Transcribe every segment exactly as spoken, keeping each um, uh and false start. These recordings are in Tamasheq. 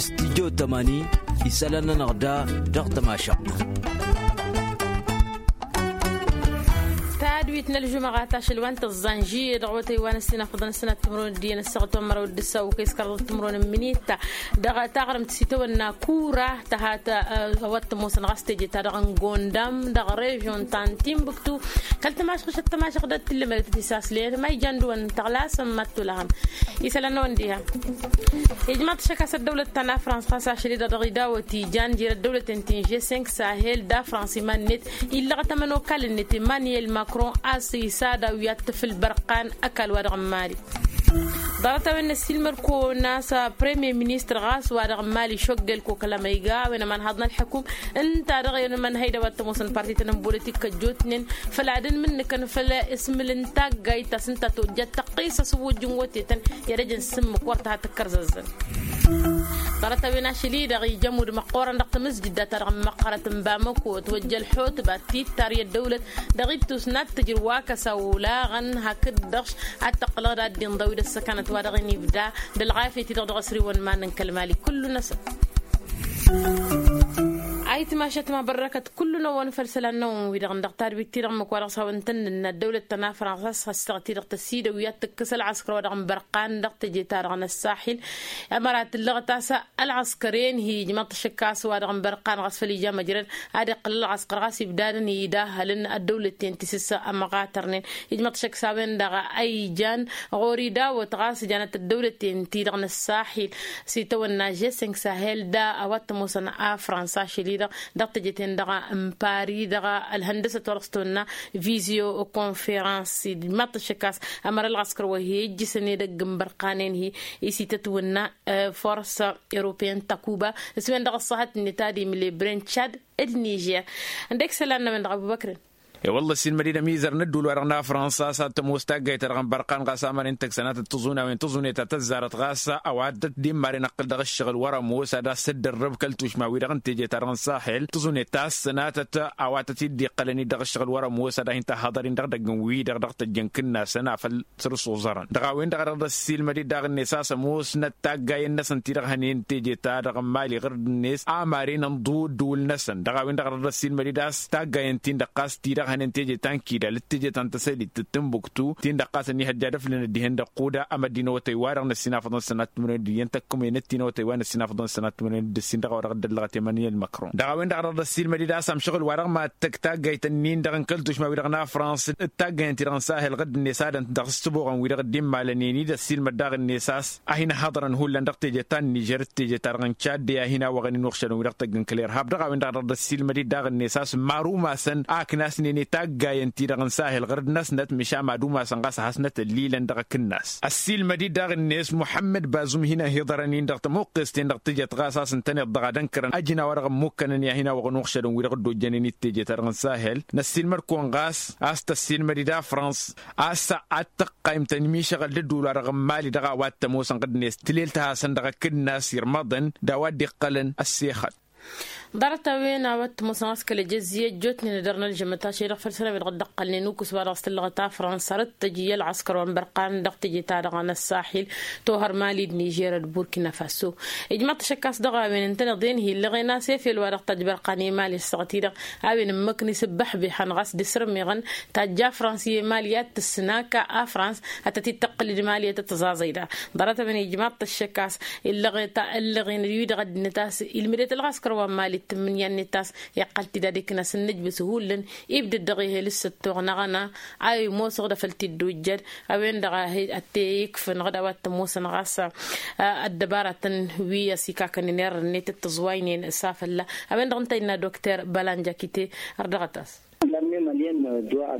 Studyo tămani isălan-nănăɣ da dăɣ-tămašăɣt. Tadwit n-ălžumăɣat ašăl wa n-tăẓẓa n-žiyye dăɣ-awătay wa n-ăssinafăḍăn ăssinat timǝrwen d-iyyăn ăssaɣăt wa n-măraw d-ǝssaw kăy-s kărḍăt timǝrwen n-minit dăɣ-taɣrǝmt s-itawănna kura tăhat. Ăwăt tămoosăn ɣas teje-ta-dăɣ n-gondam dăɣ-režyon ta n-timbuktu kăl-tămašăɣ šăt tămašăɣ d-ad-tǝllǝmădăt tisaslen ma ijan dăɣ-wăn tăɣlasăn mad-tulăhăm. Isălan-năwăn diha ijmaḍ-t šăk a-s ăddăwlăt ta n-afrans ɣas ašăl-i-dăɣ dăɣ-idawăt ijan jer-ăddăwlăten ti n-žesink sahel d-afrans iman-net illăɣăt ămănokal-net emmanuel macron a-s isadaw i-ad-tǝfǝl bărqan ăkall-wa-dăɣ n-mali. Ḍarăt-a-wen n-ăssiilmăd-kăwăn a-s premier ministăr ɣas wa-dăɣ n-mali šoggel kokăl amăyga a-wen ămanhaḍ n-ălḥăkum ǝnta dăɣ-e-wen ămănhăy d-a-wa t-ămoosăn parti-tăn n-bolitik kăjjootnen făll-ad-ǝnmǝnnǝkăn făll-ismǝl n-taggayt ta s-ǝnta tojjat tăqqisăs wǝjjǝn wătetăn i-ad-ăjăn s-ǝmmǝk wăr tăha tǝkkărzăzzăn. Ḍarăt-a-wen ašăl-i-dăɣ ija ămudd măqqoorăn dăɣ-tamǝzjǝdda-ta-dăɣ n-măqqărăt n-bamăko ătwăjja ălḥutba tittar i-ăddăwlăt dăɣ-ittus n-ad-tǝjrǝw wa kăsaw olaɣăn hakd-dăɣ ad-tăqqǝlăɣ d-ad-dd-inḍăw d-ăssăkanăt wa dăɣ-inibda d-ălɣafyăt-i-dăɣ dăɣ-asriwăn iman n-kăl-mali kullu-năsăn. Ayǝtmašăt ma bărrăkăt kullu-năwăn făll-isălan-năwăn-wi-dăɣ dăɣ-tadwit-ti-dăɣ ǝmmǝk wa dăɣ-s hawăn-tăn-nǝnna ăddăwlăt ta n-afrans a-s ăssaɣăt-i-dăɣ tăsidăw i-ad-tǝkkǝs ălɣăskăr wa dăɣ-n bărqan dăɣ-teje-ta-dăɣ n-ăssaxil. Ămăra tǝllăɣăt a-s ălɣăskăr-en hi-ijmăḍ-t ašăk a-s wa dăɣ-n bărqan ɣas făll-ija măjrăd ad-iqqǝl ălɣăskăr ɣas ibdadăn idahhălăn ăddăwlăt-ten ti s-ămɣatărnen. Ijmăḍ-t ašăk s-a-wen-dăɣ a ijan ɣur-idawăt ɣas janăt ăddăwlăt-ten-ti-dăɣ n-ăssaxil s-itawănna žeseng sahel da a-wa t-ămoosăn afrans ašăl-i-dăɣ dăɣ-teje-ten-dăɣ n-pari dăɣ-ălhăndăsăt wa dăɣ-s tăwănna vizyo konferans. Ijmăḍ-t ašăk a-s ămăra ălɣăskăr wa hi-ijjǝsăn edăgg n-bărqanen hi-isitătwănna forsa european takuba s-wen-dăɣ ăṣṣahăt-net ad-imle bren tšad d-nižer. Ǝndek isălan-năwăn dăɣ-abubăkrăn. E-wălla ăssiilmăd-dd ămizăr n-ădduul-wa-dăɣ n-afrănsa a-s ad-tămoos taggayt-ta-dăɣ n-bărqan ɣas amăren tăgg-sănatăt tǝẓun a-wen tǝẓunet ta tăzzarăt ɣas a-wa dd-imaren ăqqǝl dăɣ-ǝššăɣǝl wăr-ămoos ad-ass-dd-ărrăb kăl-tušma-wi-dăɣ n-teje-ta-dăɣ n-saxel tǝẓunet ta s-sănatăt a-wa tăt-dd-iqqălăn-dd dăɣ-ǝššăɣǝl wăr-ămoos ad-hin-tăhhăḍăr-in dăɣ-idăgg n-wi-dăɣ dăɣ-tăjjăn kǝnnasăn afăl săr-s oẓărăn dăɣ-a-wen-dăɣ a dăɣ-dd-ăssiilmăd-dd daɣ-net a-s ămoosnăt taggayen-năsăn ti-dăɣ hănen teje-ta-dăɣ n-mali ɣǝr-net amaren ănḍu ǝddǝwǝl-năsăn dăɣ-a-wen-dăɣ a dăɣ-dd-ăssiilmăd-dd a-s taggayen-tin-dăɣ ɣas ti-dăɣ hănen teje ta n-kidal d-teje ta n-tăsălit d-timbuktu tin-dăɣ ɣas ănnihăjja ad-ăflǝnăt dihen dăɣ-quda amăddi n-awătay-wa-dăɣ n-ăssinafăḍăn sănat timǝrwen d-iyyăn tăkkumen d-ti n-awătay-wa n-ăssinafăḍăn sănat timǝrwen d-ǝssin dăɣ-a-wa dăɣ-dd-ăllăɣăt emăniyel măkron dăɣ-a-wen-dăɣ a dăɣ-dd-ăssiilmăd-dd a-s amšăɣǝl-wa-dăɣ ma tăgg taggayt-nin-dăɣ n-kăl-tušma-wi-dăɣ n-afrans d-taggayăn-ti-dăɣ n-sahel ɣǝdd-net ad-ănta dăɣ-s tǝboɣăn-wi-dăɣ dd-immalănen-dd ăssiilmăd daɣ-net a-s ad-hin-ăhhăḍărăn hullan dăɣ-teje ta n-nižer d-teje-ta-dăɣ n-tšadde a hin-awăɣăn-in uɣšădăn-wi-dăɣ tăgg n-kăl-irhab dăɣ-a-wen-dăɣ a dăɣ-dd-ăssiilmăd-dd daɣ-net a-s marumasăn a ǝknasnen i-taggayen-ti-dăɣ n-sahel ɣǝrǝd-năsnăt măšan madumasăn ɣas a hasnăt ăllilăn dăɣ-akǝnnas ăssiilmăd-dd daɣ-net muḥămmăd bazum hin-ăhiḍărăn-in dăɣ-tămuqqes-ten-dăɣ tǝjăt ɣas a-s ǝntăneḍ-dăɣ ad-ănkărăn ăjǝn a-wa-dăɣ ămmukkănăn i-ad-hin-awăɣăn uɣšădăn-wi-dăɣ dd-ojjănen i-teje-ta-dăɣ n-sahel năssiilmăd-kăwăn ɣas a-s tăssiilmăd-dd afrans a-s ad-tăqqayǝm tănmišăɣăl d-ădduul-wa-dăɣ n-mali dăɣ-a-wa t-ămoosăn ɣǝdnet tǝlel tăhasăn dăɣ-akǝnnas irmăḍăn d-a-wa dd-iqqălăn ăssexăt. Ḍarăt-a-wen a-wa t-ămoosăn ɣas kăl-ejăzzi ăjjootnen ad-ărnă ălžămăt ašăl-i-dăɣ făll-sănăwed ɣǝddăɣ-tălnen ukǝs-wa-dăɣ s-tǝllăɣăt afrans arăt-tăj i-ălɣăskăr wa n-bărqan dăɣ-teje-ta-dăɣ n-ăssaxil tohăr mali d-nižer d-burkina faso. Ijmăḍ-t ašăk a-s dăɣ-a-wen ǝntăneḍ-en hi-ǝllăɣen a-s efel-wa-dăɣ ta ăjbărqan i-mali ăssaɣăt-i-dăɣ a-wen ǝmmǝknǝy s-ǝbbăḥbihăn ɣas d-isrǝmmiɣăn tajja afrans i-mali ad-tǝssǝnaka afrans ad-tăt-dd-tăqqǝl d-mali ad-tăt-tăẓaẓăy daɣ. Ḍarăt-a-wen ijmăḍ-t ašăk a-s ǝllăɣen ta ǝllăɣen-wi-dăɣ ăddinăt a-s ilmǝdet ălɣăskăr wa n-mali d-tǝmmǝnǝya-net a-s iqqăl-t-dd ad-iknas ǝnnǝjbǝs hullan ibdăd dăɣ-ehel s-ăttoɣ năɣăna a imosăɣ-dd afăl-t-dd-ojjăd a-wen-dăɣ a he-ătte ikfǝnăɣ d-a-wa t-ămoosăn ɣas ăddăbaratăn wi ăsikakănen irrănnet d-tǝẓwaynen s-afălla a-wen-dăɣ ǝnta innă dokter balanjakite. Ărdăɣăt-as.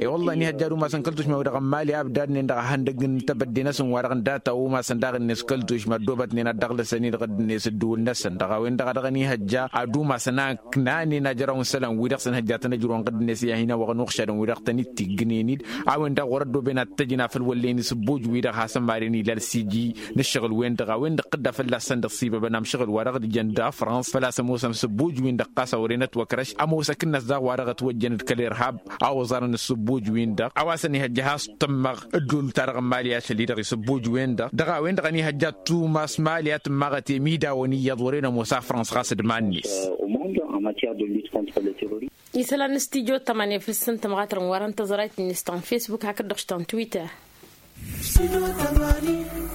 E-wălla-hi ănihăjja ad-umasăn kăl-tušma-wi-dăɣ n-mali a ǝbdadnen dăɣ-ehăndăgg n-tebădde-năsăn wa-dăɣ n-data umasăn daɣ-net kăl-tušma ăddoobătnen ad-dăɣ-lăsăn-i-dăɣ ăddinăs ădduul-năsăn dăɣ-a-wen-dăɣ a dăɣ-ănihăjja ad-umasăn a ǝknanen ajrăw n-isălan-wi-dăɣ s-ănhăjjatăn ăjrăwăn ɣǝddǝnet i-ad-hin-ăwwăɣăn uɣšadăn-wi-dăɣ tăn-dd-tiggǝnen-dd a-wen-dăɣ wăr-ăddooben ad-t-ăjǝn afăl wăllen isǝbbuj-wi-dăɣ hasăn-maren ila ălsiji n-ǝššăɣǝl-wen-dăɣ a-wen-dăɣ tădda fălla-săn dăɣ-sibăbăn amšăɣǝl-wa-dăɣ d-jăn d-afrans făl-a-s ămoosăn isǝbbuj-win-dăɣ ɣas a wăren ătwăkrăš ămoos akǝnnas daɣ wa-dăɣ ătwăjjăn d-kăl-irhab a Ẓarăn ǝssǝbbuj-win-dăɣ a-wa s-ănihăjja has-tǝmmăɣ ǝddul-ta-dăɣ n-mali ašăl-i-dăɣ isǝbbuj-wen-dăɣ dăɣ-a-wen-dăɣ ănihăjja ăttumas mali a tǝmmaɣăt i-imidawăn iyyăḍ wăren ămoos afrănsa ɣas d-iman-net. Isălan n-stijo tămani fǝl s-ǝntămɣatărăn wa dăɣ-n tăẓrayt-net ta n-fesbuk hakd-dăɣ ta n-twitter.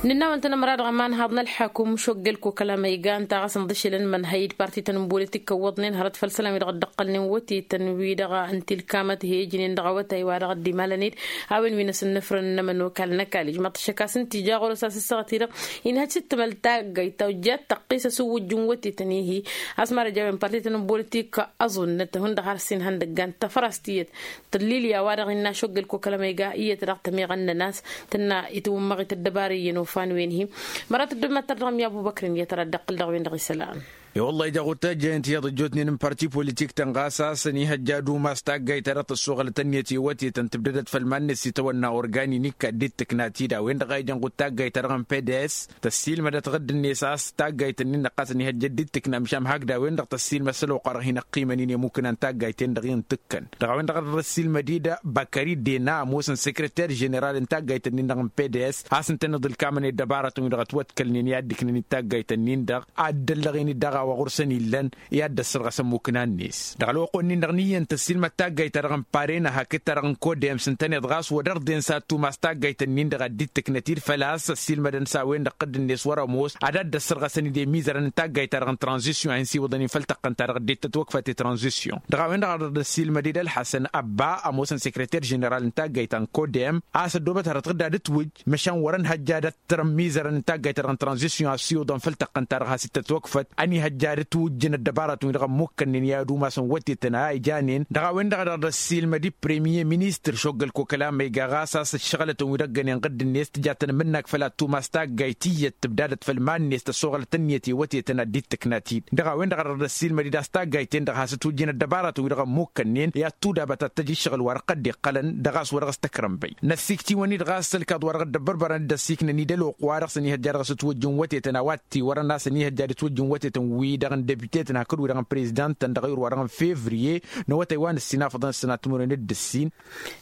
Nǝnna wa n-tăn-ămăra dăɣ-ămanhaḍ n-ălḥăkum šoggel kokăla ma iga ǝnta ɣas ǝnḍǝšǝlăn mănhăy d-partităn n-bolitik ăwwăḍnen hărăt făll-isălan-wi-dăɣ dd-ăqqălnen wătetăn-wi-dăɣ ǝnta-i-ǝlkamăt he-ǝjnen dăɣ-awătay wa dăɣ-ăddimalăn-dd a-wen wi n-asǝnnǝfrăn n-ămănokal n-ăkall ijmăḍ-t ăššăk a-s ǝnta ija ɣur-s a-s ǝssăɣăt-i-dăɣ inhăj s-dd-tǝmăl taggayt ta ojjat tăqqis asǝwwǝjj n-wătetăn ihi a-s marăj a-wen partităn n-bolitik ăẓunnăt hundăɣ har s-inhăn dăggan tăfras tiyyăt tăllilya wa dăɣ-innă ašoggăl kokălăm iga iyyăt dăɣ-tămiɣăn-nănăs tǝnna itwǝmmăɣ ităddăbarăyăn ufan wen-hi. Mărat ăddommăttăr dăɣ-mi abubăkrăn iyyăt ara dd-iqqǝl dăɣ-wen-dăɣ isălan. I-wăllah ija ɣur-tajjăyăn tiyyăḍ ăjjootnen n-parti politik-tăn ɣas a-s ănihăjja ad-umas taggayt ta dăɣ-tăssoɣălăt ǝnniyăt i-wătetăn tǝbdădăt făll-iman-net s-itawănna organinik ad-dd-tǝkna tida a-wen-dăɣ a ijăn ɣur-taggayt ta dăɣ-n pds tăssiilmădăt ɣǝdd-net a-s taggayt-ǝnnin-dăɣ ɣas ănihăjja dd-tǝkna măšan hakd a-wen-dăɣ tăssiilmăd s-ălwăqq wa dăɣ-hin-ăqqiimăn-in i-mukǝna n-taggayt-en-dăɣ i-ǝntǝkkăn dăɣ-a-wen-dăɣ a dd-ăssiilmăd-dd bakări dena ămoosăn sekreter ženeral n-taggayt-ǝnnin-dăɣ n-pds a-s ǝntăneḍ ǝlkamăn i-ăddăbarătăn-wi-dăɣ ătwătkălnen i-ad-dd-ǝknăn d-taggayt-ǝnnin-dăɣ ad-dd-ăllăɣen-dd daɣ a-wa ɣur-săn illăn i-ad-dd-ăssărɣăsăn mukǝna-net dăɣ-ălwăqq-wen-nin-dăɣ n-iyyăn tăssiilmăd taggayt-ta-dăɣ n-parena hakd-ta-dăɣ n-kodem s-ǝntăneḍ ɣas wăr dăr-dd-ensa ăttumas taggayt-ǝnnin-dăɣ ad-dd-tǝknăt-dd făl-a-s ăssiilmădăn s-a-wen-dăɣ ɣǝdd-net wăr-ămoos ad-dd-ăssărɣăsăn-dd i-imizărăn n-taggayt-ta-dăɣ n-tranzisyon a hin-siwǝḍăn-in făll-tăqqăn-ta-dăɣ dd-tătwăkfăt i-tranzisyon. Dăɣ-a-wen-dăɣ a dăr-dd-ăssiilmăd-dd ălḥăsăn ăbba ămoosăn sekreter ženeral n-taggayt ta n-kodem a-s ăddoobăt hărăt ɣǝdda d-ǝtwǝjj măšan wăr-ănhăjja ad-ăttărăn imizărăn n-taggayt-ta-dăɣ n-tranzisyon a ăssiwǝḍăn făll-tăqqăn-ta-dăɣ has-dd-tătwăkfăt ănihăjja ad-ǝtwǝjjǝn ăddăbarătăn-wi-dăɣ ămmukkănnen i-ad-umasăn wătetăn a ijanen. Dăɣ-a-wen-dăɣ a dăr-dd-ăssiilmăd i-premier ministăr šoggăl kokăla ma iga ɣas a-s ǝššăɣǝlătăn wi dăɣ-gănen ɣǝdd-net tǝja tăn-mǝnnag făll-ad-tumas taggayt tiyyăt tǝbdadăt făll-iman-net tăssoɣălăt ǝnniyăt i-wătetăn ad-dd-tǝkna tid. Dăɣ-a-wen-dăɣ a dăr-dd-ăssiilmăd-dd a-s taggayt-ten-dăɣ has-ǝtwǝjjǝn ăddăbarătăn wi dăɣ-ămmukkănnen i-ad-tudabăt ad-tăj ǝššăɣǝl wa dăɣ-tădd-iqqălăn dăɣ-a-s wa dăɣ-s tăkrănbăy. Năssiikt'-iwăn-dd ɣas ălkaḍ wa dăɣ-dd-ăbbărbărăn dd-ăssiiknăn-dd ălwăqq wa dăɣ-săn ihăjja dăɣ-s ǝtwǝjjǝn wătetăn a-wa t-iwărăn a-s ănihăjja ad-ǝtwǝjjǝn wătetăn-wi-dăɣ n-debite-tăn hakd wi-dăɣ n-prezidant-tăn dăɣ-ayǝr wa dăɣ-n fevriye n-awătay wa n-ǝssin afăḍăn s-sănat timǝrwen d-ǝssin.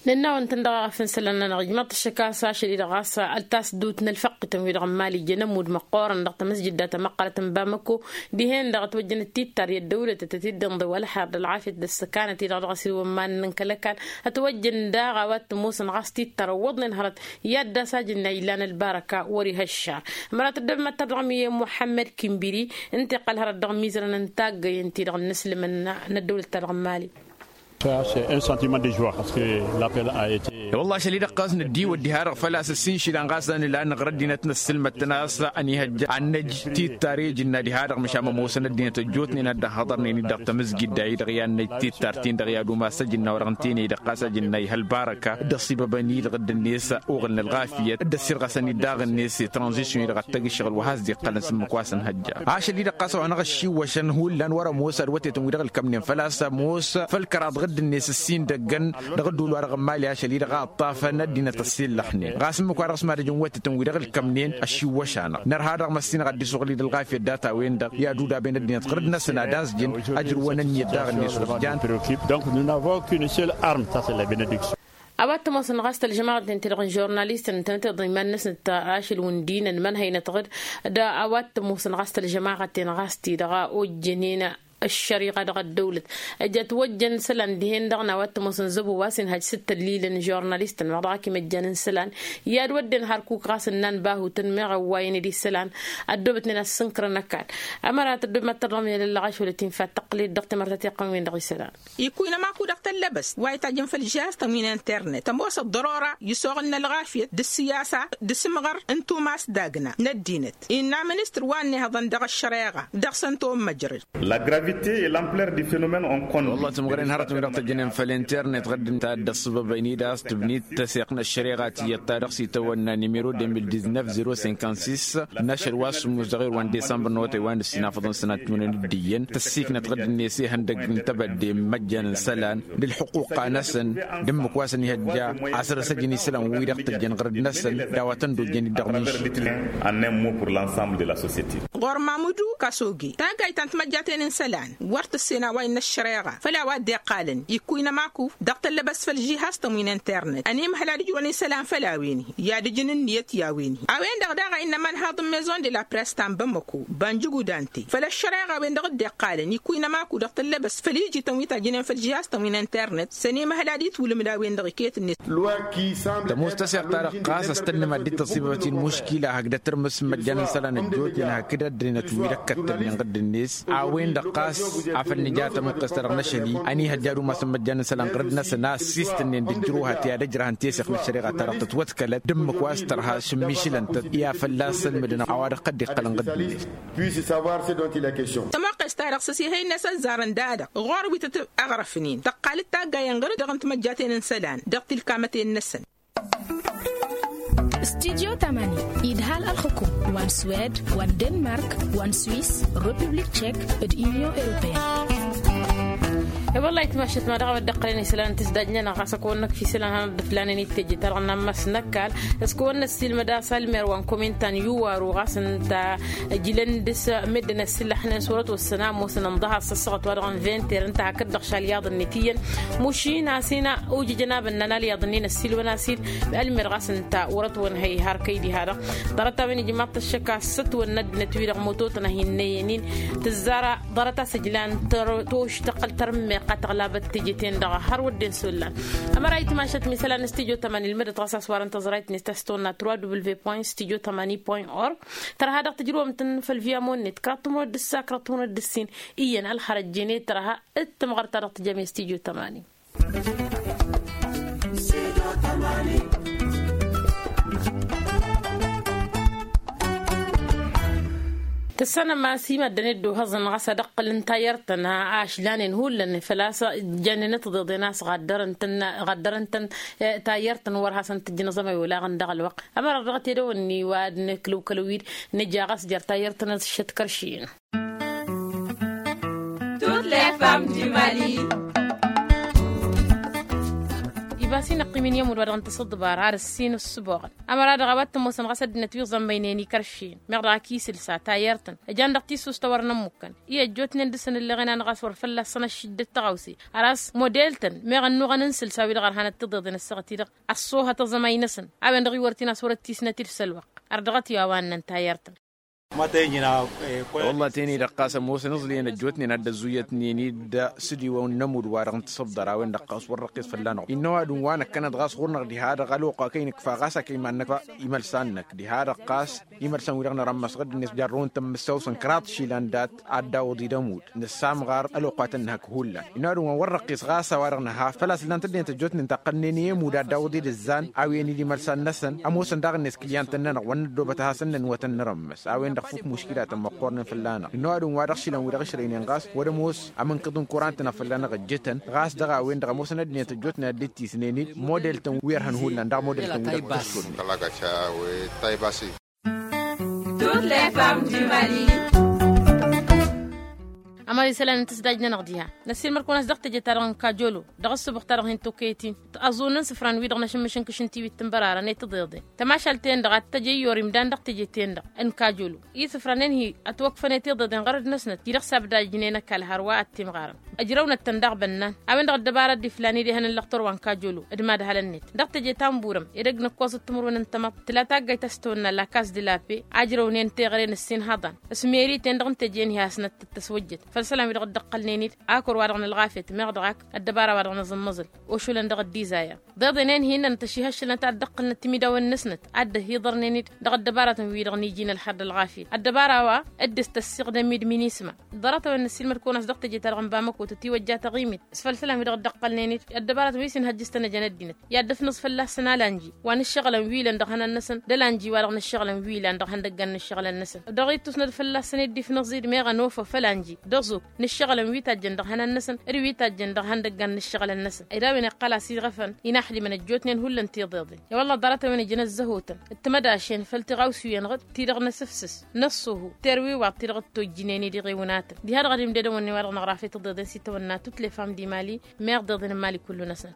Nănn'-awăn-tăn dăɣ-aɣăf n-isălan-nănăɣ ijmăḍ-t ăššăk a-s ašăl-i-dăɣ ɣas ăltas dd-utnălfăqqităn-wi-dăɣ n-imali ijăn ămudd măqqoorăn dăɣ-tamăsjǝdda tamăqqalăt n-bamăko dihen-dăɣ ătwăjjăn d-tittar i-ăddăwlăt ad-tăt-dd-inḍǝw ălxer d-ălɣafyăt d-ăssăkanăt-i-dăɣ dăɣ-s iwămman n-kăl-ăkall ătwăjjăn daɣ a-wa t-ămoosăn ɣas tittar ăwwăḍnen hărăt i-ad-dd-asajǝnna illan ălbarăka wăr-iha ăššar. Mărat ăddăbmăttăr dăɣ-mi i-muḥămmăd kimbiri ǝnta iqqăl hărăt dăɣ-imizărăn n-taggăyăn-ti-dăɣ n-inǝslǝmăn n-ăddăwlăt-ta-dăɣ n-imali. Săr-a-s un sentiment de joie parce que l'appel a été. Wălla ašăl-i-dăɣ ɣas nǝddiwăt diha-dăɣ făl-a-s ǝssin išilan ɣas a nǝla nǝɣra ăddinăt n-ăssǝlmăd-tăn a-s ănihăjja ad-năj tittar i-ijǝnna diha-dăɣ măšan mămoosăn ăddinăt ăjjootnen ad-dd-ăhhăḍărnen-dd dăɣ-tamǝzgidda-i-dăɣ i-ad-năj tittar-tin-dăɣ i-ad-umas ăjǝnna wa dăɣ-n teney-dăɣ ɣas a jǝnna ihăl barăka dd-ăṣibăbăn-i-dăɣ dd-net uɣǝl n-ălɣafyăt dd-ăssirɣăsăn-dd daɣ-net i-tranzisyon-i-dăɣ ad-tăgg ǝššăɣǝl wa has-dd-iqqălăn s-ǝmmǝk wa s-ănhăjja. Ašăl-i-dăɣ ɣas a-wa n-aɣăššiwwăšăn hullan wăr-ămoos ad-wătetăn-wi-dăɣ ǝlkămnen făl-a-s ămoos făll-kăraḍ ɣǝdd-net ǝssin dăgg-ăn dăɣ-ădduul-wa-dăɣ n-imali ašăl-i-dăɣ a ǝṭṭafăn ăddinăt ăssiillăxnen ɣas ǝmmǝk-wa-dăɣ s-mad-ăjǝn wătetăn-wi-dăɣ ǝlkămnen ăššiwwăš-anăɣ nărha-dăɣ măssinăɣ ad-dd-isuɣǝl-dd ălɣafyăt data-wen-dăɣ i-ad-udaben ăddinăt ɣǝrǝd-năsăn ad-anzjǝn ăjrǝwăn ǝnniyăt daɣ-net wăr jan. Donc nous n'avons qu'une seule arme, ça c'est la bénédiction. A-wa t-ămoosăn ɣas tălžămaɣăt-en-ti-dăɣ n-žurnalistăn ǝntănăteḍ iman-năsnăt ašăl wǝndinăn mănhăynăt ɣǝd d-a-wa t-ămoosăn ɣas tălžămaɣăt-en ɣas ti-dăɣ a ojjănen ăššăriɣa dăɣ-ăddăwlăt ăjăt wăjjăn isălan dihen-dăɣ n-a-wa t-ămoosăn zăbo wa s-inhăj s-dd-tăllilăn žurnalistăn meɣ dăɣ-ak imăjjan n-isălan i-ad-wădden hărkuk ɣas ǝnnan bahutăn meɣ ăwwayăn-dd isălan ăddoobătnen ad-sǝnkărăn ăkall. Ămărat ăddoobăt mad-tărdăɣ miyălăl ašăl tinfa tăqqǝl-dd dăɣ-timărtăt iqqăn-wen-dăɣ isălan. Ikuyna maku dăɣ-tăllăbăst wa itajjăn făll-žihaz-tăn wi n-internet ămoos ăḍḍărora isoɣǝl n-ălɣafyăt d-ǝssiyasa d-asǝmɣăr n-tumas d-agna n-ăddinăt innă ministăr wa ănnihăḍăn dăɣ-ăššăreɣa dăɣ-săn tommăjrăd. La gravité et l'ampleur du phénomène on connu. Wălla tǝmɣăren hărătăn wi dăɣ-tăjjănen făll-internet ɣǝddǝn ta dd-ăṣṣăbăbăyni d-a-s tǝbnit tăseɣt n-ăššăreɣa tiyyăt ta dăɣ-s itawănna nimero deux mille dix-neuf zéro cinquante-six n-ašăl wa s-sǝmmǝs dăɣ-irwan disămbăr n-awătay wa n-ǝssin afăḍăn sănat timǝrwen d-iyyăn tăssiiknăt ɣǝddǝn-net ihăndăg n-tebădde n-imăjjan n-isălan d-ǝlxǝquqa-năsăn d-ǝmmǝk wa s-ănihăjja a săr-ăsăjăn isălan-wi-dăɣ tăjjăn ɣărăd-năsăn d-a-wa tăn-dd-ojjăn-dd dăɣ-minši. En un mot pour l'ensemble de la société. Ɣur-mamudu kasoge taggayt ta n-timăjjaten n-isălan. wăr tǝssen a-wa innă ăššăreɣa făll-a-wa dd-iqqalăn ikkuynăm aku dăɣ-tăllăbăst făll-žihaz-tăn wi n-internet ănimhăl ad-ǝjrăwăn isălan făll-a-wen-hi i-ad-ǝjǝn ǝnniyăt i-a-wen-hi. A-wen-dăɣ daɣ a innă imanhaḍ n-maison de la press ta n-bamăko banjǝgudante făll-ăššăreɣa a-wen-dăɣ dd-iqqalăn ikkuynăm aku dăɣ-tăllăbăst făll-ijităn wi tajjǝnen făll-žihaz-tăn wi n-internet s-ănimhăl ad-itwǝlǝmǝd a-wen-dăɣ iket-net. Tămoos taseɣt-ta-dăɣ ɣas a-s tănnăm ad-dd-tăṣibăbăt i-ǝlmuškila hakd ad-tărmǝs imăjjan n-isălan ăjjootnen hakd ăddinăt wi d-ăkkăttălnen ɣǝdd-net. A-wen-dăɣ ɣas afăl nǝja tămuqqes-ta-dăɣ n-ašăl-i ănihăjja ad-umasăn imăjjan n-isălan ɣǝrǝd-năsăn a ăssiistǝnnen d-ǝjrǝwhăt i-ad-ǝjrăhăn teseɣt n-ăššăreɣa-ta-dăɣ tătwătkălăt d-ǝmmǝk wa s-tărha šǝmmišǝlăn-tăt i-ad-fălla-s sălmǝdăn a-wa dăɣ-tădd-iqqălăn ɣǝdd-net. Tămoqqes-ta-dăɣ s-ăsihăy-net ăzzarăn da-dăɣ ɣur-wi tăt-ăɣrăfnen tăqqal-dd taggayăn ɣǝrǝd dăɣ-n-timăjjaten n-isălan dăɣ-tilkamăten-năsăn. Studyo tamani idhal ălxukum wa n-swed wa n-denmark wa n-swiss, republik tchek d-union europeen. E-wălla-hi timašat ma dăɣ-a-wa dd-ăqqălăn isălan n-tisdajnen ɣas ăkăwăn-năkf isălan hanăt-dd-ǝflanen i-teje-ta-dăɣ n-ammas n-ăkall. S-kăwăn-năssiilmăd a-s almer wa n-komintan i-uwaru ɣas ǝnta ǝjlăn dăr-s meddǝn ăssillăxnen s-wăr-ătwăssăn a ămoosăn ǝnḍăhăḍ s-ăssaɣăt-wa-dăɣ n-vinter ǝnta hakd-dăɣ šal iyaḍ-net iyyăn. Mušin a-s hin-a ojăjăn abănnan alyaḍ-nin ăssiilwăn a-s-dd ălmer ɣas ǝnta wăr-ătwănhăy har kăy-diha-dăɣ. Ḍarăt-a-wen ijmaḍ-t ăššăk a-s ătwănna ăddinăt-wi-dăɣ mototăn a hin-năyyănin tǝzzar ḍarăt a-s ǝjlan tăr-toš tăqqăl tărǝmmeɣt a tăɣlabăt teje-ten-dăɣ har wădden s-ollan. Ămăra itmašăt misălan n-studyo tamani ǝlmǝdăt ɣas a-s warăn tăẓrayt-net ta s-tăwănna trois w point studyo tamani point org. Tărha dăɣ-tǝjrǝwăm-tăn făll-via monnet kăraḍ timǝrwen d-ǝssa kăraḍ timǝrwen d-ǝssin. Iyyăn ălxărăt jene tărha d-tămɣărt ta dăɣ-tǝjăm i-studyo tamani. Tǝssanăm a-s i-maddănet d-ohăẓăn ɣas ad-ăqqǝlăn tayyărt-tăn a ašlanen hullan făl-a-s jannen ăttiḍeḍen a-s ɣaddărăn-tăn ɣaddărăn-tăn. Tayyărt-tăn wăr hasăn-tǝjjǝn aẓămay olaɣăn dăɣ-ălwăqq. Ămăra dăɣ-tedăwănni wa ad-nǝklǝwkălăn wi-dd nǝja ɣas jer-tayyărt-tăn ad-šăt kăršin. Toutes les femmes du mali. Ibas-i năqqim-in i-ămudd wa dăɣ-nǝtăs ăḍḍăbar ar ǝssin ǝssǝboɣăn. Ămăra dăɣ-a-wa t-ămoosăn ɣas ăddinăt wi ẓămmăynen ikeršin meɣ dăɣ-ak isǝlsa tayyărt-tăn ăjan dăɣ-tissust a wărăn ămmukkăn. I-ăjjootnen dăr-săn ǝlleɣen-anăɣ a-s wăr fălla-săn ăššǝjjăt tăɣawse. Ar a-s model-tăn meɣ ănnuɣăn n-isǝlsa-wi-dăɣ ărhanăt tiḍeḍen ăssaɣăt-i-dăɣ ăṣṣoohăt aẓămay-năsăn. A-wen-dăɣ iwărăt-in a-s wăr-ăttisnăt-dd făll-ălwăqq. Ărdăɣăt i-wa ănnăn tayyărt-tăn. Wălla teni-dăɣ ɣas ămoosăn iẓlǝyăn ăjjootnen ad-dd-ăzzuyyătnen-dd s-dd-iwăw n-inămudd wa dăɣ-n tisǝbdăr a-wen-dăɣ ɣas wăr răqqis fălla-năɣ innă ăwadǝm wa năkkănăt ɣas ɣur-năɣ diha-dăɣ ălwăqq wa kăy-nǝkfa ɣas a kăy-iman-năkfa. Imălsan-năk diha-dăɣ ɣas imălsan-wi-dăɣ nărămmăs ɣǝdd-net jarrăwăn-tăn mǝssawsăn kăraḍ išilan dat-ad-dawǝḍ-i d-ămudd nǝssamɣar ălwăqq wa tăn-nǝhăk hullan. Innă ăwadǝm wa n-wăr răqqis ɣas a-wa-dăɣ nǝha făl-a-s ǝllan-t ăddinăt ăjjootnen taqqălnen i-ămudd ad-dawǝḍ-i d-ǝzzan a-wen-dd imălsan-năsăn ămoosăn daɣ-net kǝlyan-tăn-nănăɣ wăr năddoobăt a hasăn-nănwătăn nărămmăs a-wen-dăɣ fuk muškilatăn măqqoornen fălla-năɣ. Innă ăwadǝm wa dăɣ-išilan wi dăɣ-išrăynen ɣas wăr-ămoos amǝnkǝḍ n-kuran-tăn a fălla-năɣ ăjjătăn ɣas dăɣ-a-wen-dăɣ ămoosăn ăddinăt ăjjootnen ad-dd-tisnen-dd model-tăn wi ărhăn hullan daɣ model-tăn wi dăɣ-tăšodnen. Toutes les femmes du mali. Ămăra isălan n-tǝsdaj-nănăɣ diha năssiilmăr-kăwăn a-s dăɣ-teje-ta-dăɣ n-kajolo dăɣ-ǝssǝbux-ta-dăɣ hin-tokăyăt-in. Aẓun n-isǝfran wi-dăɣ năšǝmmǝš n-kǝšǝn tiwit tǝnbărarăn i-tiḍeḍen tămašalt-en-dăɣ ad-t-tăj i-iyyor imdan dăɣ-teje-ten-dăɣ n-kajolo. Isǝfranen-hi ătwăkfăn i-tiḍeḍen ɣărăd-năsnăt-i-dăɣ s-abdajnen ăkall hărwa ad-t-imɣarăn. Ăjrăwnăt-tăn daɣ bănnan a-wen-dăɣ ăddăbara dd-iflan idehăn n-lăxtor wa n-kajolo d-imadhălăn-net dăɣ-teje ta n-burăm. Edăgg n-ǝkkoẓăt timǝrwen n-tamăḍt tǝla taggayt a-s tăwănna la kas d-la pe. Ajrăwnen teɣăre n-ǝssin haḍan s-meri-ten-dăɣ n-teje-en-hi hasnăt-tăswăjjăt făll-isălan wi-dăɣ dd-ăqqălnen-dd akor wa dăɣ-nălɣafyăt meɣ dăɣ-ak ăddăbara wa dăɣ-năẓǝmmăẓǝl ošulăn dăɣ-ăddizayăr. Ḍeḍen-en-hi innăn tăšihăššălnăt ad-dd-ăqqǝlnăt timidawen-năsnăt ad-dd-ăhiḍărnen-dd dăɣ-ăddăbaratăn-wi-dăɣ n-iji n-ălxer d-ălɣafyăt ăddăbara wa dd-tăssiɣdăm-dd minisma. Ḍarăt-a-wen năssiilmăd-kăwăn a-s dăɣ-teje-ta-dăɣ n-bamăko tătiwăjja taɣimit s-făll-isălan wi-dăɣ dd-ăqqălnen-dd ăddăbaratăn wi s-inhăjjǝstăn ăjăn ăddinăt i-ad-dd-ăfnǝẓ fălla-săn alanji wa n-ǝššăɣǝlăn wi ilăn dăɣ-ihănan-năsăn d-alanji wa dăɣ-nǝššăɣǝlăn wi ilăn dăɣ-ihăndăggan n-ǝššăɣǝlăn-năsăn. Dăɣ-ittus n-ad-fălla-săn dd-ifnǝẓ-dd meɣ ănofăf ălanji d-aẓuk n-ǝššăɣǝlăn wi tajjăn dăɣ-ihănan-năsăn d-wi tajjăn dăɣ-ihăndăggan n-ǝššăɣǝlăn-năsăn. Ed a-wen iqqăl-as iɣăfăn inaxdimăn ăjjootnen hullan tiḍeḍen. I-wălla ḍarăt-a-wen ǝjǝn ăzzăhotăn d-timădašen făll-tiɣawsiwen ɣǝd ti-dăɣ n-asǝfsǝs n-ăṣṣuhu terwiwaḍ ti-dăɣ dd-tojjǝnen-dd iɣiwǝnatăn. Diha-dăɣ ad-imdădăwăn i-wa-dăɣ năɣrafet tiḍeḍen s-itawănna toutes les femmes du mali meɣ ḍeḍen n-mali kullu-năsnăt.